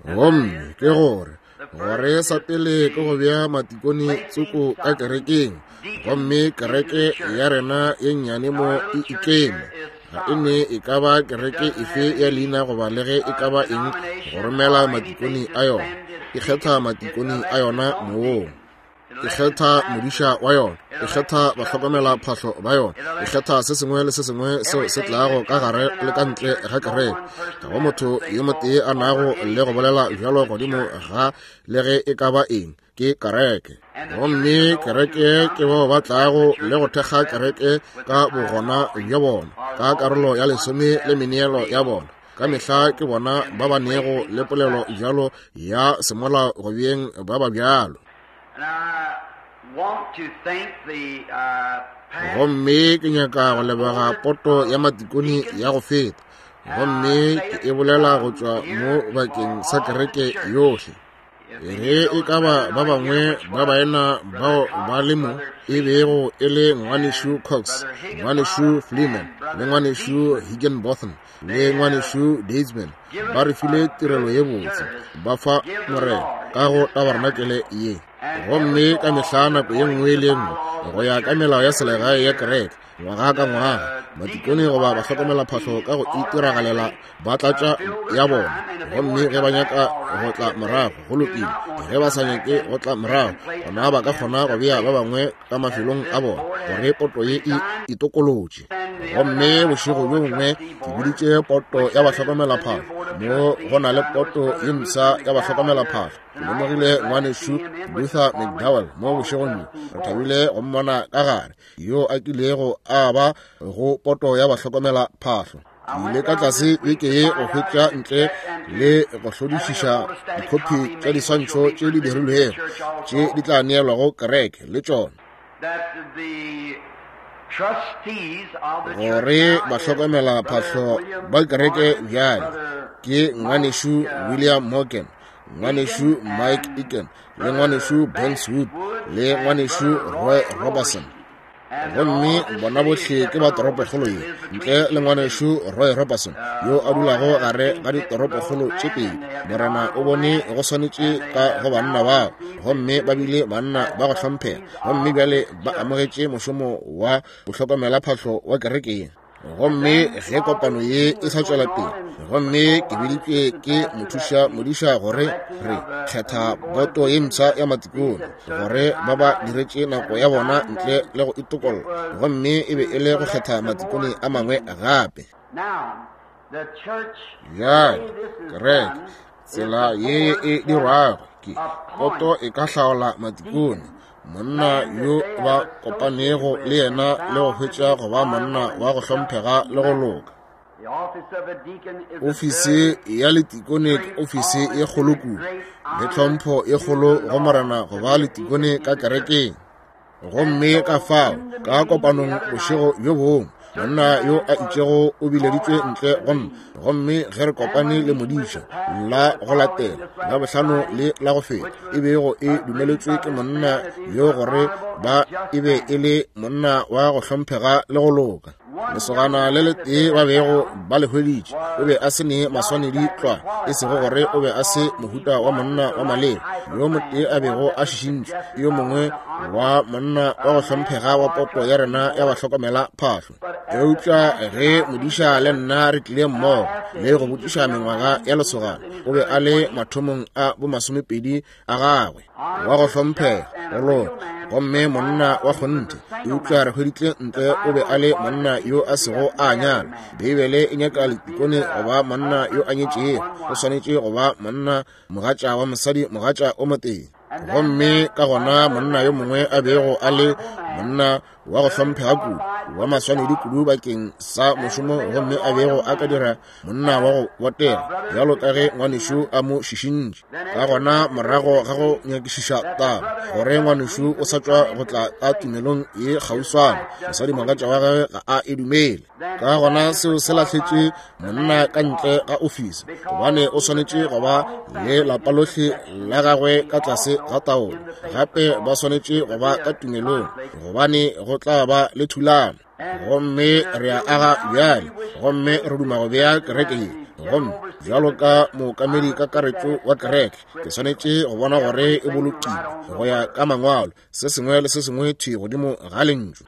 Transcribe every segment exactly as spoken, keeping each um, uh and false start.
Gomme ke gore gore sa pele ke go bea matikone tsoko ka kerekeng, gomme kereke ya rena ye nnyane mo e ikeme. Ga e ne e ka ba kereke efe ya leina goba le ge e ka ba eng go romela matikone a yona. E kgetha matikone a yona mong. E kgetha modiša wa yona, e kgetha bahlokomela phahlo ba yona, e kgetha se sengwe le se sengwe seo se tlago ka gare le ka ntle ga kereke. Ga go motho yo motee a nago le go bolela bjalo godimo ga le ge e ka ba eng, ke kereke. Gomme kereke ke bao ba tlago le go thekga kereke ka bogona bja bona, ka karolo ya lesome le meneelo ya bona. Ka mehla ke bona ba ba nego le polelo bjalo ya semolao go beng ba ba bjalo. Gomme ke nyaka go leboga poto ya matikone ya go feta, gomme ke e bolela go tšwa mo bakeng sa kereke yohle. Ge e ka ba ba bangwe ba baena bao ba le mo, e bego e le ngwanešu Cox, ngwanešu Fleeman, le ngwanešu Higginbotham, le ngwanešu Daysman, ba re file tirelo ye botse, ba fa Morena ka go tabarenakele ye. Gomme ka mehla nako ye nngwe le nngwe go ya ka melao ya selegae ya kereke, ngwaga ka ngwaga, matikone goba bahlokomela phahlo ka go itiragalela ba tlatša ya bona. Gomme ge ba nyaka go tla morago, go lokile. Ge ba sa nyake go tla morago, gona ba ka kgona go bea ba bangwe ka mafelong a bona gore poto ye e itokolotše. Gomme bošego bjo bongwe ke biditše poto ya bahlokomela phahlo. Mo go na le poto ye mpsha ya bahlokomela phahlo. Ke lemogile ngwanešu Luther McDowell mo bošegong bjo. Re thabile go mmona ka gare, yo a kilego a ba go poto ya bahlokomela phahlo. Ke ile ka tlase beke ye go hwetša ntle le go hlodišiša dikhopi tša diswantšho tše di dirilwego tše di tla neelwago kereke le tšona, gore bahlokomela phahlo ba kereke bjale ke ngwanešu William Morgan, ngwanešu Mike Eakin, le ngwanešu Banks Wood, le ngwanešu Roy Robertson. Gomme bona bohle ke ba toropokgolo ye, ntle le ngwanešu Roy Robertson yo a dulago gare ga ditoropokgolo tše pedi. Morena o bone go swanetše ka go banna bao, gomme ba bile banna ba go hlomphega, gomme bjale ba amogetše mošomo wa bohlokomela phahlo wa kerekeng. Gomme ge kopano ye e sa tšwela pele, gomme ke biditšwe ke mothuša modiša gore re kgetha boto ye mpsha ya matikone gore ba ba diretše nako ya bona ntle le go itokolla, gomme e be e le go kgetha matikone a mangwe gape. Bjale kereke tsela ye e dirwago ke poto e ka hlaola matikone, monna yo ba kopanego le yena le go hwetša go ba monna wa go hlomphega le go loka. Ofisi ya letikone ke ofisi ye kgolo kudu, le tlhompho ye kgolo go Morena go ba letikone ka kerekeng. Gomme ka fao ka kopanong bošego bjo bongwe, monna yo a itšego o bileditšwe ntle go nna, gomme ge re kopane le modiša la go latela la bohlano le la go feta, e bego e dumeletšwe ke monna yo gore ba e be e le monna wa go hlomphega le go loka. Lesogana le letee ba bego ba le hweditše o be a se ne maswanedi tlwa, e sego gore o be a se mohuta wa monna wa maleba. Yo motee a bego a šišintšwe yo mongwe wa monna wa go hlomphega wa poto ya rena ya bahlokomela phahlo. Eupša ge modiša le nna re tlile mmogo le go botšiša mengwaga ya lesogana, o be a le mathomong a bomasomepedi a gagwe, wa go hlomphega, go loka, gomme monna wa kgonthe. Eupša re hweditše ntle o be a le monna yo a sego a nyala. Beibele e nyaka letikone go ba monna yo a nyetšego, o swanetše go ba monna mogatša wa mosadi mogatša o motee. Gomme ka gona monna yo mongwe a bego a le monna wa go hlomphega kudu, wa maswanedi kudu bakeng sa mošomo, gomme a bego a ka dira monna wa go botega bjalo ka ge ngwanešu a mo šišintše. Ka gona morago ga go nyakišiša taba gore ngwanešu o sa tšwa go tla ka tumelong ye kgauswana, mosadi mogatša wa gagwe ga a e dumele. Ka gona seo se lahletše monna ka ntle ga ofisi, gobane o swanetše go ba le lapa lohle la gagwe ka tlase ga taolo. Gape ba swanetše go ba ka tumelong, gobane go tla ba le thulano. Gomme re a aga bjale, gomme re duma go bea kereke ye Gomme bjalo ka mookamedi kakaretšo wa kereke, ke swanetše go bona gore e bolokilwe go ya ka mangwalo, se sengwe le se sengwe thwi godimo ga lentšu.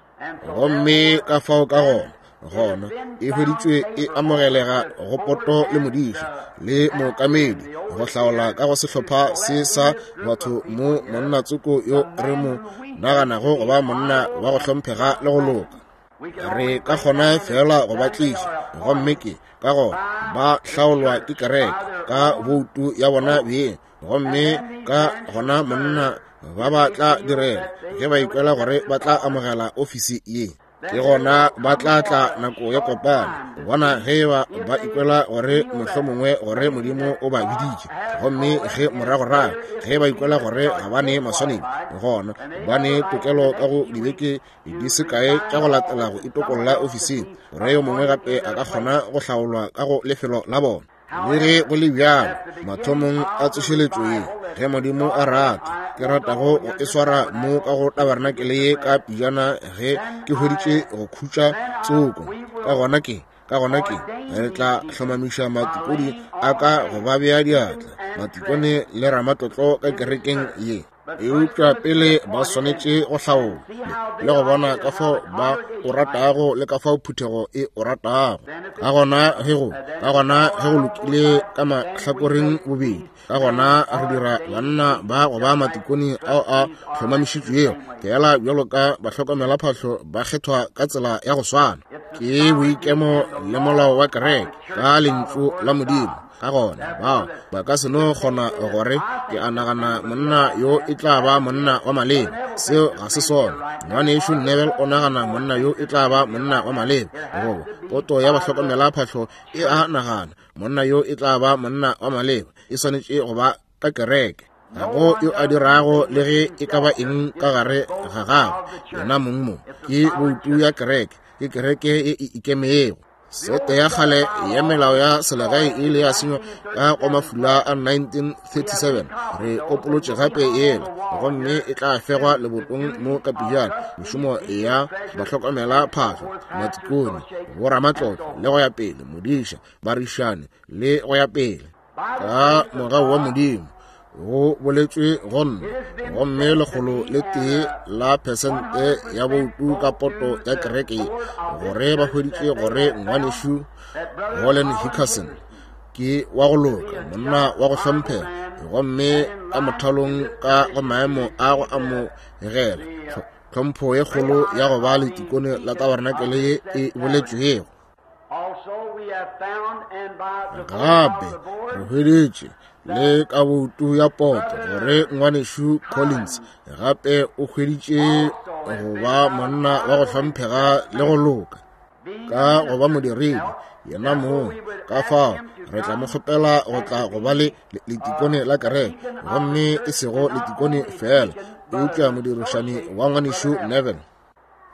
Gomme ka fao ka gona, gona e hweditšwe e amogelega go poto le modiša le mookamedi go hlaola ka go sehlopha se sa batho mo monna tsoko yo re mo naganago go ba monna wa go hlomphega le go loka. Re ka kgona fela go ba tliša, gomme ke ka gona ba hlaolwa ke kereke ka boutu ya bona beng, gomme ka gona monna ba ba tla direla ge ba ikwela gore ba tla amogela ofisi ye. Ke gona ba tla tla nako ya kopano bona ge ba ba ikwela gore mohlomongwe gore Modimo o ba biditše, gomme ge moragorago ge ba ikwela gore ga ba ne maswanedi, gona ba ne tokelo ka go dibeke di se kae tša go latela go itokolla ofising, gore yo mongwe gape a ka kgona go hlaolwa ka go lefelo la bona. Le ge go le bjalo, mathomong a tsošeletšo ye, ge Modimo a rata, ke ratago go e swara mo ka go tabernacle ye ka pejana ge ke hweditše go khutša tsoko. Ka gona ke, ka gona ke, re tla hlomamiša matikone a ka go ba bea diatla, matikone le ramatlotlo ka kerekeng ye. Eupša pele ba swanetše go hlaola le go bona ka fao ba o ratago le ka fao phuthego e o ratago. Ka gona ge go, ka gona ge go lokile ka mahlakoreng bobedi, ka gona re dira banna ba go ba matikone ao a hlomamišitšwego, fela bjalo ka bahlokomelaphahlo ba kgethwa ka tsela ya go swana. Ke boikemo le molao wa kereke ka lentšu la Modimo. Ka gona bao ba ka se no kgona gore ke a nagana monna yo e tla ba monna wa maleba. Seo ga se sona. Ngwanešu Neville o nagana monna yo e tla ba monna wa maleba, goba poto ya bahlokomelaphahlo e a nagana monna yo e tla ba monna wa maleba. E swanetše go ba ka kereke. Ga go yo a dirago le ge e ka ba eng ka gare ga gagwe yena mong mo. Ke boutu ya kereke, ke kereke e e ikemego. Sete ya kgale ya melao ya selegae e ile ya senywa ka go mafula a nineteen thirty-seven. Re kopolotše gape yela, gomme e tla fegwa lebotong mo ka pejana. Mešomo ya bahlokomelaphahlo, matikone, boramatlotlo le go ya pele, modiša, barišane le go ya pele. Ka mogau wa Modimo go boletšwe go nna, gomme lekgolo le tee la phesente ya boutu ka poto ya kereke gore ba hweditše gore ngwanešu Holland Hickerson ke wa go loka, monna wa go hlomphega, gomme ka mothalong ka go maemo a go amogela tlhompho ye kgolo ya go ba letikone la tabernacle ye e boletšwego. Gape re hweditše le ka boutu ya poto gore ngwanešu Collins gape o hweditše go ba monna wa go hlomphega le go loka ka go ba modiredi yena mong. Ka fao re tla mo kgopela go tla go ba le letikone la kereke, gomme e sego letikone fela, eupša modirišani wa ngwanešu Neville.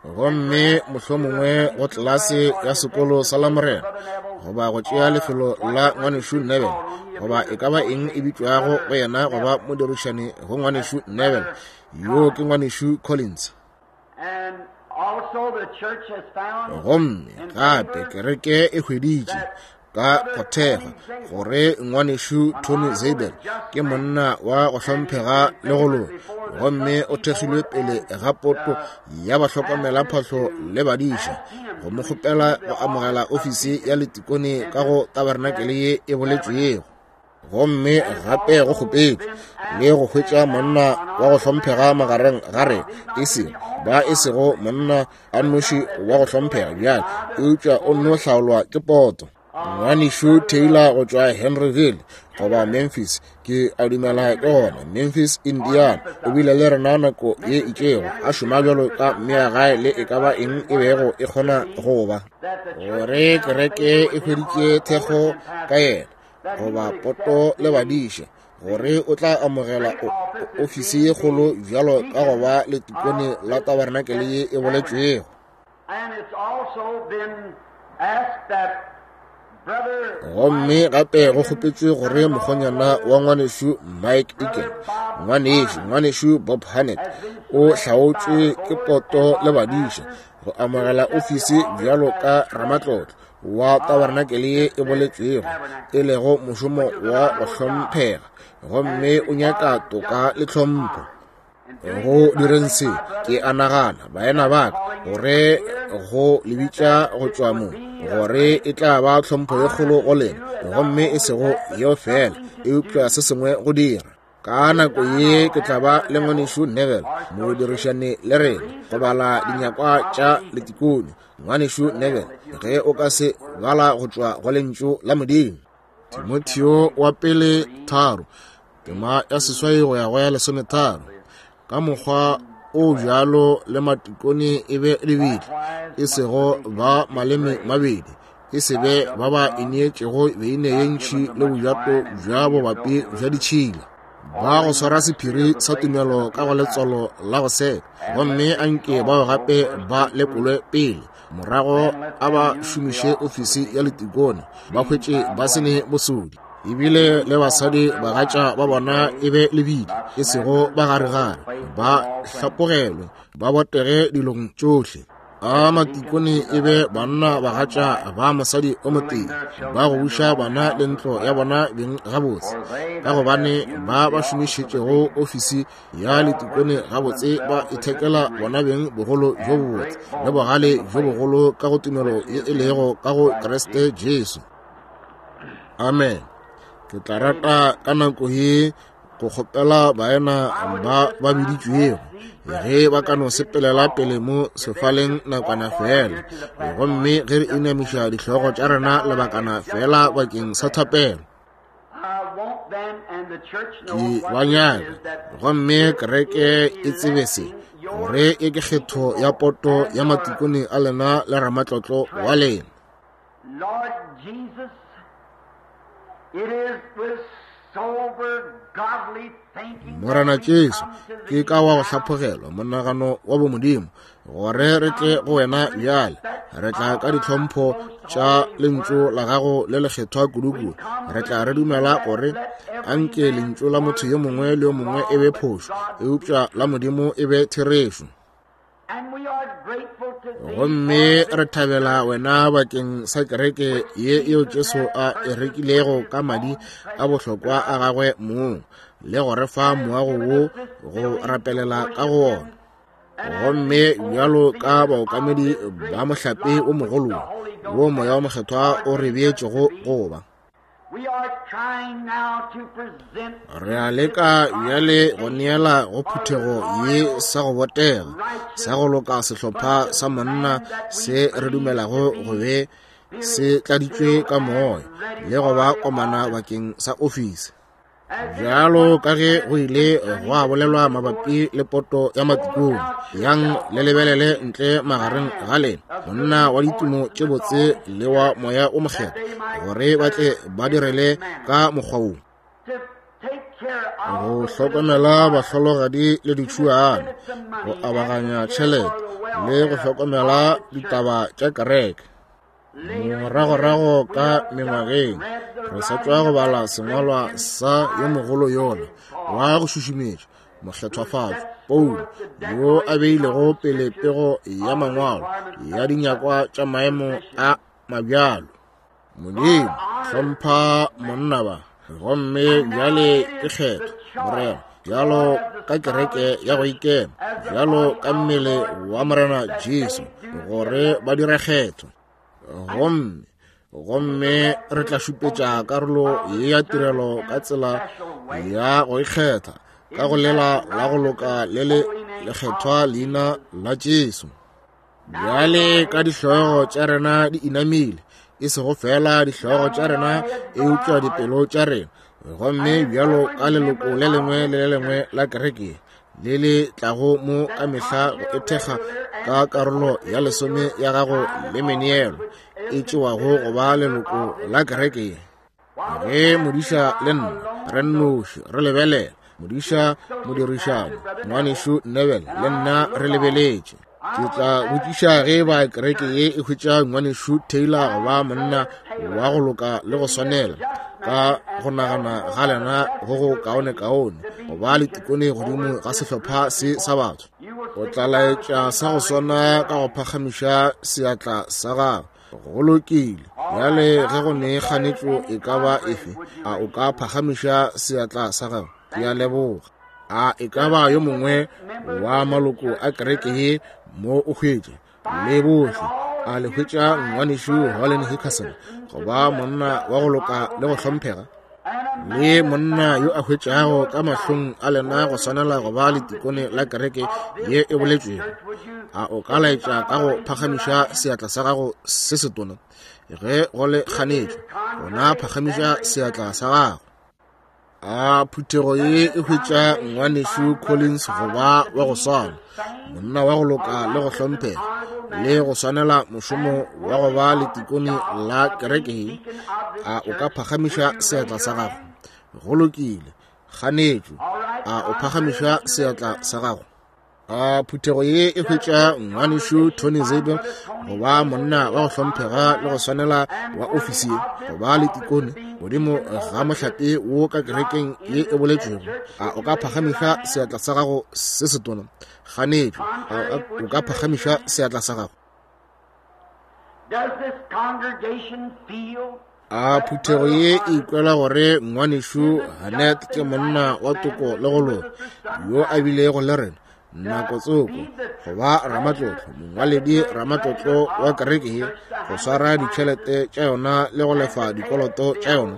Gomme mohlomongwe go tlelase ya sekolo sa Lamorena, goba go tšea lefelo la ngwanešu Neville, goba e ka ba eng e bitšwago go yena go ba modirišani go ngwanešu Neville, yo ke ngwanešu Collins. Gomme gape kereke e hweditše ka go thekga gore ngwanešu Tony Zabel ke monna wa go hlomphega le go loka, gomme o thekgilwe pele ga poto ya bahlokomelaphahlo le badiša go mo kgopela go amogela ofisi ya letikone ka go tabernacle ye e boletšwego. Gomme gape go kgopetšwe le go hwetša monna wa go hlomphega magareng ga rena, e sego ba e sego monna a nnoši wa go hlomphega bjale, eupša o nno hlaolwa ke poto. Ngwanešu Taylor go tšwa Henryville goba Memphis, ke a dumela ke gona Memphis, Indiana, o bile le rena nako ye itšego a šoma bjalo ka mmeagae le e ka ba eng e bego e kgona go ba, gore kereke e hweditše thekgo ka yena goba poto le badiša, gore o tla amogela ofisi ye kgolo bjalo ka go ba letikone la tabernacle ye e boletšwego. Gomme gape go kgopetšwe gore mokgonyana wa ngwanešu Mike Egan, ngwanešu ngwanešu Bob Hannett, o hlaotšwe ke poto le badiša go amogela ofisi bjalo ka ramatlotlo, wa tabarenakele ye e boletšwego, e lego mošomo wa go hlomphega, gomme o nyaka toka le tlhompho. Go direng se, ke a nagana, baena ba ka, gore go le bitša go tšwa mo, gore e tla ba tlhompho ye kgolo go lena, gomme e sego yeo fela, eupša se sengwe go dira. Ka nako ye ke tla ba le ngwanešu Neville, modirišane le rena, go bala dinyakwa tša letikone. Ngwanešu Neville, ge o ka se bala go tšwa go lentšu la Modimo. Timotheo wa pele tharo, tema ya seswai go ya go ya lesometharo. Ka mokgwa o bjalo le matikone e be lebili, e sego ba maleme mabedi, e se be ba ba ineetšego beine ye ntši le bojato bja bobapi bja ditšhila, ba go swara sephiri sa tumelo ka go letswalo la go seka, gomme anke bao gape ba lekolwe pele, morago a ba šomiše ofisi ya letikone, ba hwetše ba se ne bosodi. Ebile le basadi bagatša ba bona e be lebili, e sego ba garegare, ba hlapogelwe, ba botege dilong tšohle. A matikone e be banna bagatša ba mosadi o motee, ba go buša bana le ntlo ya bona beng gabotse, ka gobane ba ba šomišetšego ofisi ya letikone gabotse ba ithekela bona beng bogolo bjo bobotse le bogale bjo bogolo ka go tumelo ye e lego ka go Kriste Jesu. Amen. Ke tla rata ka nako ye go kgopela baena ba ba biditšwego ge ba ka no sepelela pele mo sefaleng nakwana fela, gomme ge re inamiša dihlogo tša rena lebakana fela bakeng sa thapelo. Ke ba nyaka, gomme kereke e tsebe se, gore e ke kgetho ya poto ya matikone a lena le ramatlotlo wa lena. Morena Jesu, ke ka wa go hlaphogelwa monagano wa bomodimo, gore re tle go wena bjale. Re tla ka ditlhompho tša lentšu la gago le lekgethwa kudu-kudu. Re tla re dumela gore anke lentšu la motho yo mongwe le yo mongwe e be phošo, eupša la Modimo e be therešo. Gomme re thabela wena bakeng sa kereke ye yeo Jesu a e rekilego ka madi a bohlokwa a gagwe mong, le go re fa moago wo go rapelela ka go wona. Gomme bjalo ka baokamedi ba mohlape o mogolo wo Moya o Mokgethwa o re beetšego go ba, re a leka bjale go neela go phuthego ye sa go botega, sa go loka sehlopha sa monna se re dumelago go be se tladitšwe ka moya le go ba komana bakeng sa ofisi. Bjalo ka ge go ile gwa bolelwa mabapi le poto ya matikone, yang le lebelele ntle magareng ga lena monna wa ditumo tše botse le wa Moya o Mokgethwa, gore ba tle ba direle ka mokgwa wo, go hlokomela bahlologadi le ditšhuana, go abaganya tšhelete le go hlokomela ditaba tša kereke. Moragorago ka mengwageng re sa tšwa go bala sengwalwa sa yo mogolo yola wa go šušumetša mokgethwafatšo Paulo, yo a beilego pele pego ya mangwalo ya dinyakwa tša maemo a mabjalo. Modimo, hlompha monna ba, gomme bjale ke kgetho, Morena, bjalo ka kereke ya go ikema, bjalo ka mmele wa Morena Jesu, gore ba dire kgetho. Gomme gomme re tla šupetša karolo ye ya tirelo ka tsela ya go ikgetha, ka go lela la go loka le le lekgethwa leina la Jesu. Bjale ka dihlogo tša rena di inamile, e sego fela dihlogo tša rena, eupša dipelo tša rena, gomme bjalo ka leloko le lengwe le le lengwe la kereke le le tlago mo ka mehla go ethekga ka karolo ya lesome ya gago le meneelo e tšewago go ba leloko la kereke. Ge modiša le nna re nnoši re lebelela, modiša modirišani ngwanešu Neville le nna re lebeletše, ke tla botšiša ge ba kereke ye e hwetša ngwanešu Taylor go ba monna wa go loka le go swanela ka go nagana ga lena go go kaone-kaone go ba le tikone godimo ga sehlopha se sa batho. O tla laetša sa go swana ka go phagamiša seatla sa gago. Go lokile, Bjale ge go ne kganetšo e ka ba efe, a o ka phagamiša seatla sa gago? Ke a leboga. A e ka ba yo mongwe wa maloko a kereke ye mo o hwetše le bohle a le hwetša ngwanešu Holland Hickerson go ba monna wa go loka le go hlomphega, le monna yo a hwetšago ka mahlong a lena go swanela go ba letikone la kereke ye e boletšwego? A o ka laetša ka go phagamiša seatla sa gago se setona? Ge go le kganetšo, gona phagamiša seatla sa gago. A phuthego ye e hwetša ngwanešu Collins go ba wa go swana, monna wa go loka le go hlomphega, le go swanela mošomo wa go ba letikone la kereke ye? A o ka phagamiša seatla sa gago? Go lokile. Kganetšo, a o phagamiša seatla sa gago? A phuthego ye e hwetša ngwanešu Tony Zabel go ba monna wa go hlomphega le go swanela wa ofisi ye, go ba letikone godimo ga mohlape wo ka kerekeng ye e boletšwego? A o ka phagamiša seatla sa gago se setona? Kganetšo, a o ka phagamiša seatla sa gago? A phuthego ye e ikwela gore ngwanešu Hanet ke monna wa toko le go loka yo a bilego le rena nako tsoko go ba ramatlotlo, mongwaledi ramatlotlo wa kereke ye, go swara ditšhelete tša yona le go lefa dikoloto tša yona?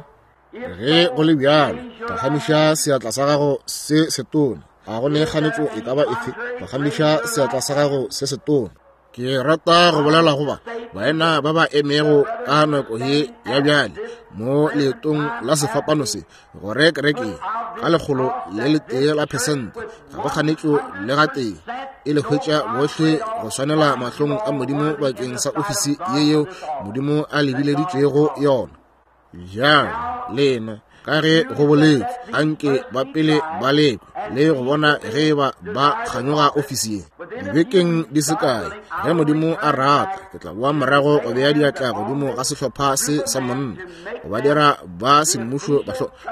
Ge go le bjalo, phagamiša seatla sa gago se setona. A go ne kganetšo e ka ba efe? Phagamiša seatla sa gago se setona. Ke rata go bolela go ba baena ba ba emego ka nako ye ya bjale mo leetong la sefapano se, gore kereke ka lekgolo le letee la phesente ga go kganetšo le gatee e le hwetša bohle go swanela mahlong a Modimo bakeng sa ofisi ye yeo Modimo a lebileditšego yona. Bjale lena, ka ge go boletšwe, anke ba pele ba lekwe le go bona ge ba ba kganyoga ofisi ye. Dibekeng di se kae, ge Modimo a rata, ke tla boa morago go bea diatla godimo ga sehlopha se sa monna, go ba dira ba semmušo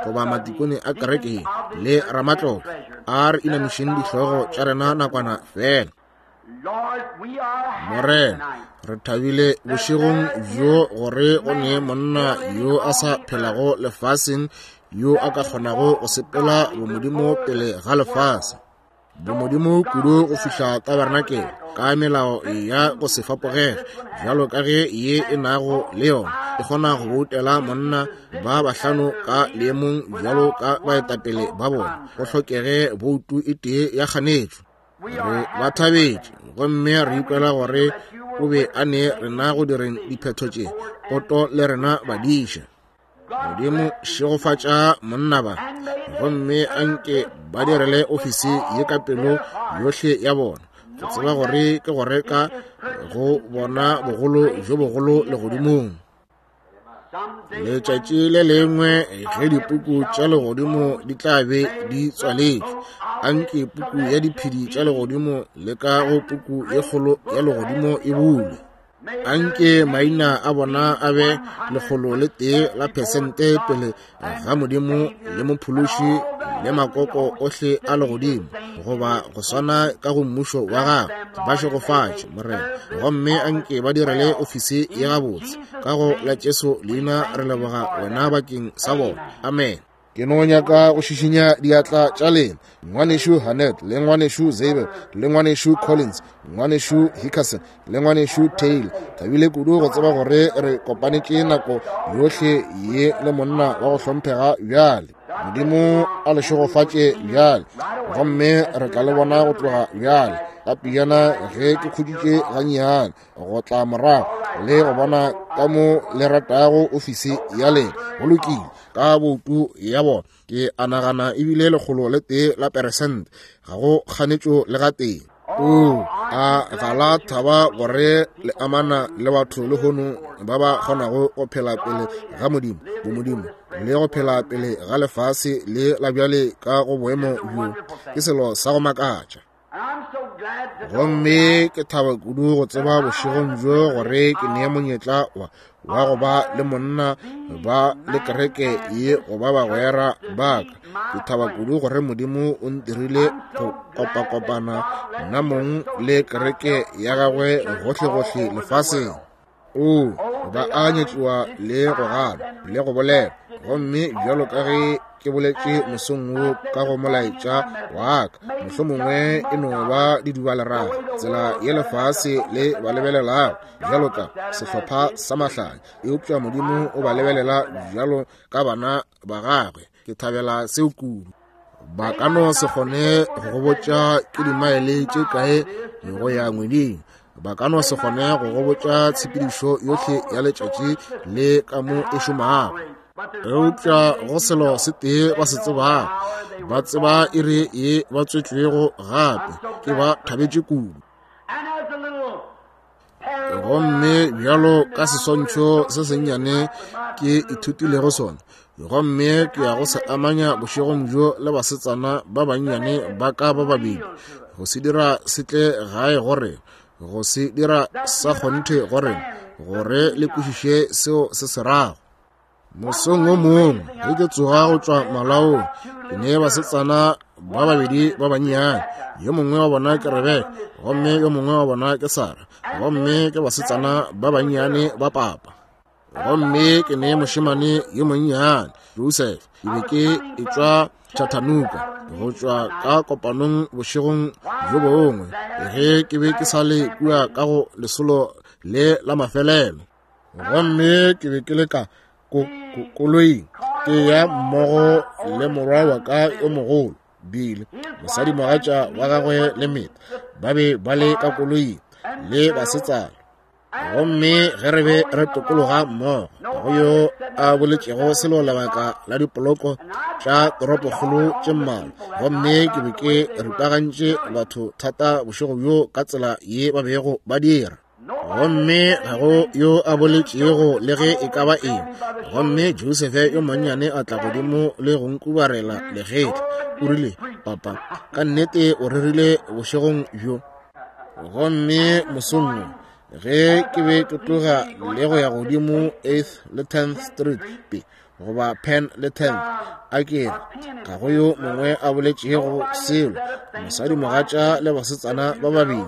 goba matikone a kereke le ramatlotlo. A re inamišeng dihlogo tša rena nakwana fela. Morena, re thabile bošegong bjo gore go ne monna yo a sa phelago lefaseng yo a ka kgonago go sepela bomodimo pele ga lefase, bomodimo kudu go fihla tabernakel ka melao ya go se fapogege bjalo ka ge ye e nago le yona e kgona go boutela monna ba bahlano ka leemong bjalo ka baetapele ba bona, go hlokege boutu e tee ya kganetšo. Re ba thabetše gomme re ikwela gore o be a ne rena go direng diphetho tše poto le rena badiša. Modimo šegofatša monna ba, gomme anke ba direle ofisi ye ka pelo yohle ya bona, go tseba gore ke go reka go bona bogolo bjo bogolo legodimong. Letšatši le lengwe ge dipuku tša legodimo di tla be di tswaletšwe, anke puku ya diphedi tša legodimo le ka go puku ye kgolo ya legodimo e bulwe. Anke maina a bona a be lekgolo le tee la phesente pele ga Modimo le Mophološi le makoko ohle a legodimo, goba go swana ka go mmušo wa gagwe. Ba šegofatše, Morena, gomme anke ba direle ofisi ye gabotse. Ka go la Jesu leina re leboga wena bakeng sa bona. Amen. Ke no nyaka go šišinya diatla tša lena, ngwanešu Hanet le ngwanešu Zabel le ngwanešu Collins, ngwanešu Hickerson le ngwanešu Taylor. Thabile kudu go tseba gore re kopanetše nako yohle ye le monna wa go hlomphega bjale. Modimo a le šegofatše bjale, gomme re tla le bona go tloga bjale ka pejana ge ke khuditše gannyane go tla morago le go bona ka mo le ratago ofisi ya lena. Go lokile ka boutu ya bona, ke a nagana ebile lekgolo le tee la peresente ga go kganetšo le gatee. O a ga la thaba gore le amana le batho lehono ba ba kgonago go phela pele ga Modimo, bomodimo, le go phela pele ga lefase le la bjale ka go boemo bjo, ke selo sa go makatša. Gomme ke thaba kudu go tseba bošegong bjo gore ke nee monyetla wa wa go ba le monna ba le kereke ye go ba bagwera ba ka. Ke thaba kudu gore Modimo o ntirile go kopakopana nna mong le kereke ya gagwe gohlegohle lefaseng. O, ba a nyatšiwa le go ganwa le go bolela. Gomme bjalo ka ge ke boletše mosong wo ka go molaetša wa ka, mohlomongwe e no ba didubaleraga, tsela ye lefase le ba lebelelago bjalo ka sehlopha sa mahlanya, eupša Modimo o ba lebelela bjalo ka bana ba gagwe. Ke thabela seo kudu. Ba ka no se kgone go go botša ke dimaele tše kae go ya ngweding. Ba ka no se kgone go go botša tshepedišo yohle ya letšatši le ka mo e šomago. Eupša go selo se tee ba se tsebago, ba tseba iri ye ba tswetšwego gape. Ke ba thabetše kudu. Gomme bjalo ka seswantšho se sennyane ke ithutilego sona, gomme ke ya go se amanya bošegong bjo le basetsana ba bannyane ba ka ba babedi, go se dira se tle gae gore, go se dira sa kgonthe gore, gore le kwešiše seo se se rago. Mosong o mongwe ge ke tsoga go tšwa malaong, ke ne basetsana ba babedi ba bannyane. Yo mongwe wa bona ke Rebeka, gomme yo mongwe wa bona ke Sara, gomme ke basetsana ba bannyane ba papa. Gomme ke ne mošemane yo monnyane, Joseph. Ke be ke etšwa Chattanooga go tšwa ka kopanong bošegong bjo bongwe, ge ke be ke sa le kua ka go lesolo le la mafelelo. Gomme ke be ke le ka koloing ke ya mmogo le morwa wa ka yo mogolo Bill, mosadimogatša wa gagwe le Meta ba be ba le ka koloing le basetsana. Gomme ge re be re tokologa mmogo, ga go yo a boletšego selo lebaka la dipoloko tša toropokgolo tše mmalwa. Gomme ke be ke ripagantše batho thata bošego bjo ka tsela ye ba bego ba dira. Gomme ga go yo a boletšego le ge e ka ba eng. Gomme Joseph yo monnyane a tla godimo le go nkubarela legetla. O rile, papa, ka nnete o rerile bošegong bjo. Gomme mosong wo, ge ke be ke tloga le go ya godimo eighth le tenth Street, goba Penn le tenth, a ke re ga go yo mongwe a boletšego selo, mosadimogatša le basetsana ba babedi.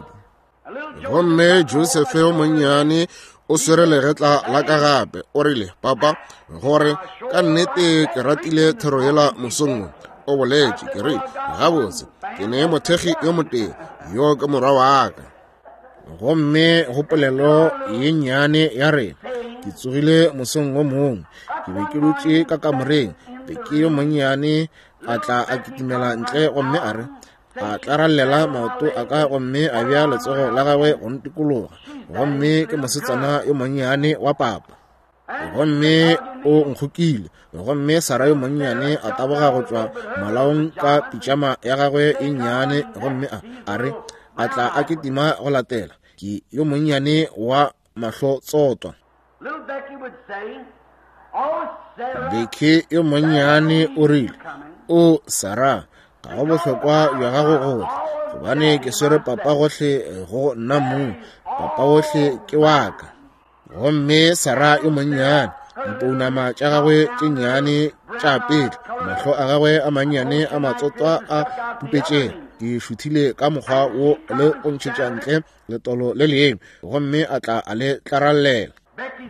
Gomme Joseph yo monnyane o swere legetla la ka gape. O rile, papa, gore ka nnete ke ratile thero yela mosong wo. O boletše, ke re, gabotse, ke ne mothekgi yo motee, yo ke morwa wa ka. Gomme go polelo ye nnyane ya rena, ke tsogile mosong wo mongwe, ke be ke dutše ka kamoreng, Becky yo monnyane a tla a kitimela ntle gomme a re, a tlarallela maoto a ka gomme a bea letsogo la gagwe go ntikologa. Gomme ke mosetsana yo monnyane wa papa. Gomme o nkgokile. Gomme Sara yo monnyane a taboga go tšwa malaong ka pitšama ya gagwe e nnyane, gomme a a re, a tla a kitima go latela. Ke yo monnyane wa mahlo tsotwa. Becky yo monnyane o rile, o Sara, ga go bohlokwa bja gago gohle, gobane ke swere papa gohle go nna mong, papa ohle ke wa ka. Gomme Sara yo monnyane, dipounama tša gagwe tše nnyane tša petla, mahlo a gagwe a mannyane a matsotwa a pupetšego, di šuthile ka mokgwa wo le go ntšhetša ntle letolo le lengwe, gomme a tla a le tlarallela.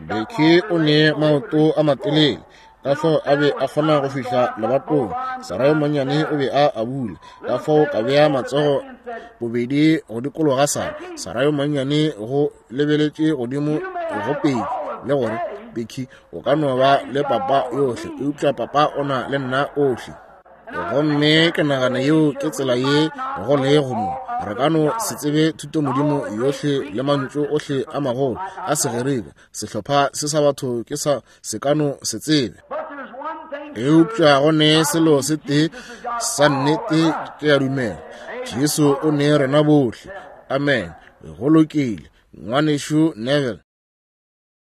Becky o ne maoto a matelele, ka fao a be a kgona go fihla lebatong. Sara yo monnyane o be a abula, ka fao ka bea matsogo bobedi go dikologa Sara. Sara yo monnyane go lebeletše godimo go Peki le gore, Becky, o ka no ba le papa yohle, eupša papa o na le nna ohle. Gomme ke nagana yeo ke tsela ye go lego mo. Re ka no se tsebe thutomodimo yohle le mantšu ohle a magolo a Segerika, sehlopha se sa batho ke sa se ka no se tsebe. Eupša go ne selo se tee sa nnete ke a dumela, Jesu o ne rena bohle. Amen. Go lokile, ngwanešu Neville.